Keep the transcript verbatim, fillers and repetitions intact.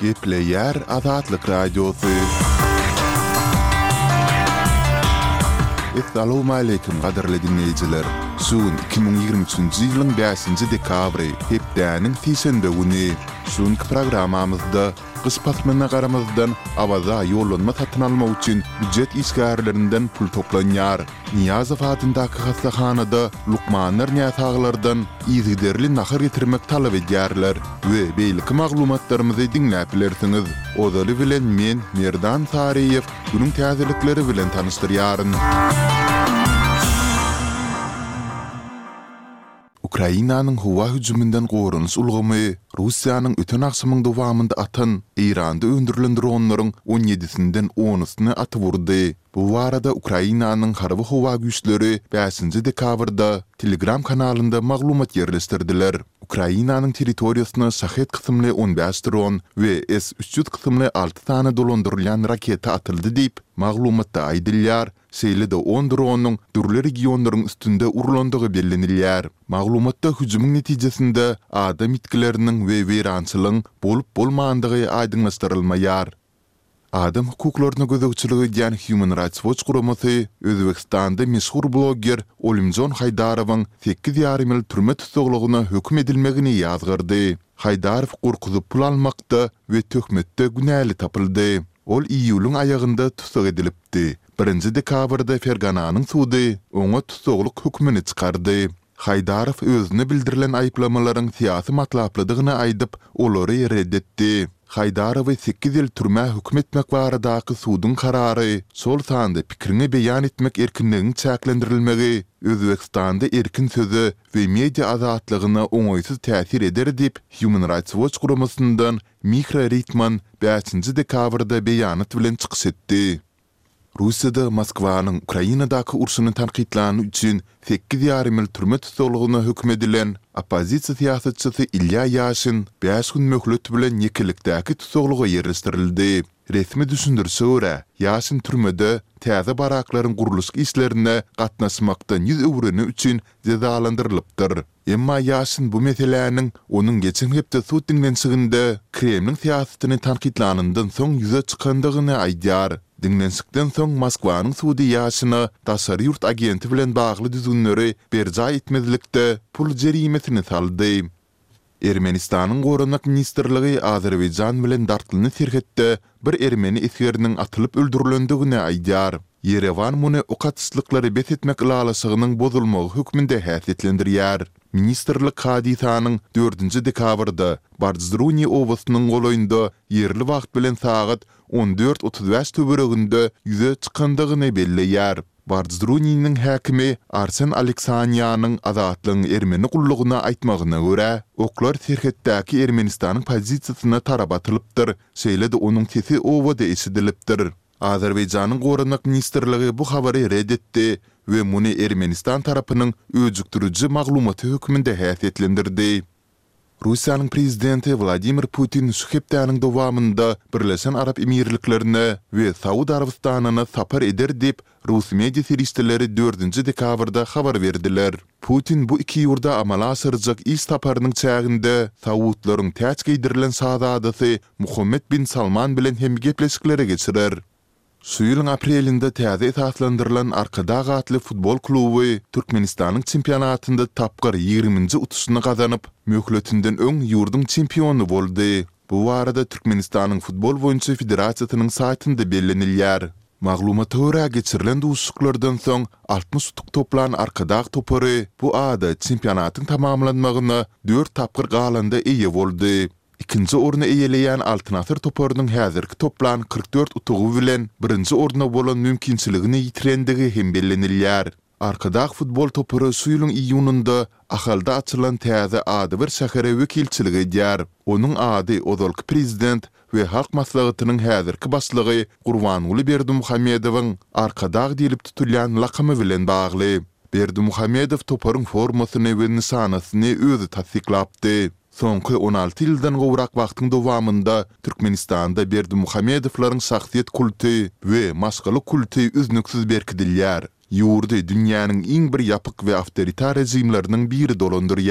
Gepleýär Azatlyk Radiosy. Essalawmaleýkim gadyrly diňleýjiler! Şu gün iki müň ýigrimi üçünji ýylyň bäşinji dekabry, hepdäniň sişenbe güni. Şu günki programmamyzda gyş paslyna garamazdan Awaza ýollanma satyn almak üçin býujet işgärlerinden pul toplanýar. Nyýazow adyndaky hassahanada lukmanlar näsaglardan yzygiderli nahar getirmek talap edýärler we beýleki maglumatlarymyzy diňläp bilersiňiz. Ozaly bilen men, Merdan Saryýew, günüň täzelikleri bilen tanyşdyrýaryn. Ukrainanyň howa hüjüminden goranyş ulgamy Russiýanyň öten agşamyň dowamynda atan Eýranda öndürilen dronlaryň on ýedisinden onusyny atyp urdy. Bu barada Ukrainanyň Harby howa güýçleri bäşinji dekabrda Telegram kanalynda maglumat ýerleşdirdiler. Ukrainanyň territoriýasyna Şahed kysymly on bäş dron we S üç ýüz kysymly alty sany dolandyrylýan raketa atyldy diýip, maglumatda aýdylýar, şeýle-de on dronyň dürli regionlaryň üstünde urlandygy bellenilýär. Maglumatda hüjümiň netijesinde adam ýitgileriniň we weýrançylygyň bolup-bolmandygy aýdyňlaşdyrylmaýar. Adam hukuklaryna gözegçilik edýän Human Rights Watch guramasy Özbegistanda meşhur blogger Olimjon Haýdarowyň sekiz ýarym ýyl türme tussaglygyna höküm edilmegini ýazgardy. Haýdarow gorkuzyp pul almakda we töhmetde günäli tapyldy. Ol iýulyň aýagynda tussag edilipdi. Birinji dekabrda Fergananyň sudy oňa tussaglyk hökmüni çykardy. Haýdarow özüne bildirilen aýyplamalaryň syýasy matlaplydygyny aýdyp, olary red etdi. Haýdarowy sekiz ýyl türmä höküm etmek baradaky suduň karary, şol sanda pikiriňi beýan etmek erkinligiň çäklendirilmegi Özbegistanda erkin söze we media azatlygyna oňaýsyz täsir eder diýip, Human Rights Watch guramasyndan Mihra Ritman bäşinji dekabrda beýanat bilen çykyş etdi. Russiýada Moskwanyň Ukrainadaky urşuny tankytlany üçin sekiz ýarym ýyl türme tussaglygyna höküm edilen oppozisiýa syýasatçysy Ilýa Ýaşin bäş gün möhlet bilen ýekelikdäki tussaglyga ýerleşdirildi. Resmi düşündirişe görä, Ýaşin türmede täze baraklaryň gurluşyk işlerine gatnaşmakdan ýüz öwreni üçin jezalandyrylypdyr. Emma Ýaşin bu meseläniň onuň geçen hepde sud diňlenişiginde Kremliň syýasatyny tankytlanyndan soň ýüze çykandygyny aýdýar. Diňlenişikden soň Moskwanyň sudy Ýaşine daşary ýurt agenti bilen bagly düzgünleri berjaý etmezlikde pul jerimesini saldy. Ermenistanyň Goranmak ministrligi Azerbaýjan bilen dartgynly serhetde bir ermeni esgeriniň atylyp öldürilendigini aýdýar. Ýerewan muny ok atyşlyklary bes etmek ylalaşygynyň bozulmagy hökmünde häsiýetlendirýär. Ministrlik hadysanyň dördünji dekabrda Bardzruni obasynyň golaýynda ýerli wagt bilen sagat on dört otuz bäş töwereginde ýüze çykandygyny belleýär. Bardzruniniň häkimi Arsen Aleksanýanyň Azatlygyň ermeni gullugyna aýtmagyna görä, oklar serhetdäki Ermenistanyň pozisiýasyna tarap atylypdyr, şeýle-de onuň sesi obada eşidilipdir. Azerbaýjanyň Goranmak ministrligi bu habary ret etdi we muny Ermenistan tarapynyň öjükdiriji maglumaty hökmünde häsiýetlendirdi. Russiýanyň prezidenti Wladimir Putin şu hepdäniň dowamynda Birleşen Arap Emirliklerine we Saud Arabystanyna sapar eder diýip, rus media serişdeleri dördünji dekabrda habar berdiler. Putin bu iki ýurda amala aşyrjak iş saparynyň çäginde saudlaryň täç geýdirilen şazadasy Muhammed bin Salman bilen hem gepleşikleri geçirer. Şu ýylyň aprelinde täze esaslandyrylan Arkadag atly futbol kluby Türkmenistanyň çempionatynda tapgyr ýigriminji utuşyny gazanyp, möhletinden öň ýurduň çempiony boldy. Bu barada Türkmenistanyň Futbol boýunça federasiýasynyň saýtynda bellenilýär. Maglumata görä, geçirilen duşuşyklardan soň altmyş utuk toplan Arkadag topary bu ada çempionatyň tamamlanmagyna dört tapgyr galanda eýe boldy. Ikinji orny eýeleýän Altyn Asyr toparynyň häzirki toplan kyrk dört utugy bilen birinji orna bolan mümkinçiligini ýitirendigi hem bellenilýär. Arkadag futbol topary şu ýylyň iýunynda Ahalda açylan täze adybir şähere wekilçilik edýär. Onuň ady ozalky prezident we Halk Maslahatynyň häzirki başlygy Gurbanguly Berdimuhamedowyň Arkadag diýlip tutulýan lakamy bilen bagly. Berdimuhamedow toparyň formasyny we nyşanasyny özi tassyklapdy. Soňky on alty ýyldan gowrak wagtyň dowamynda Türkmenistanda Berdimuhamedowlaryň şahsyýet kulty we maşgala kulty üznüksiz berkidilýär. Ýurdy dünýäniň iň bir ýapyk we awtoritar režimleriniň biri dolandyrýar.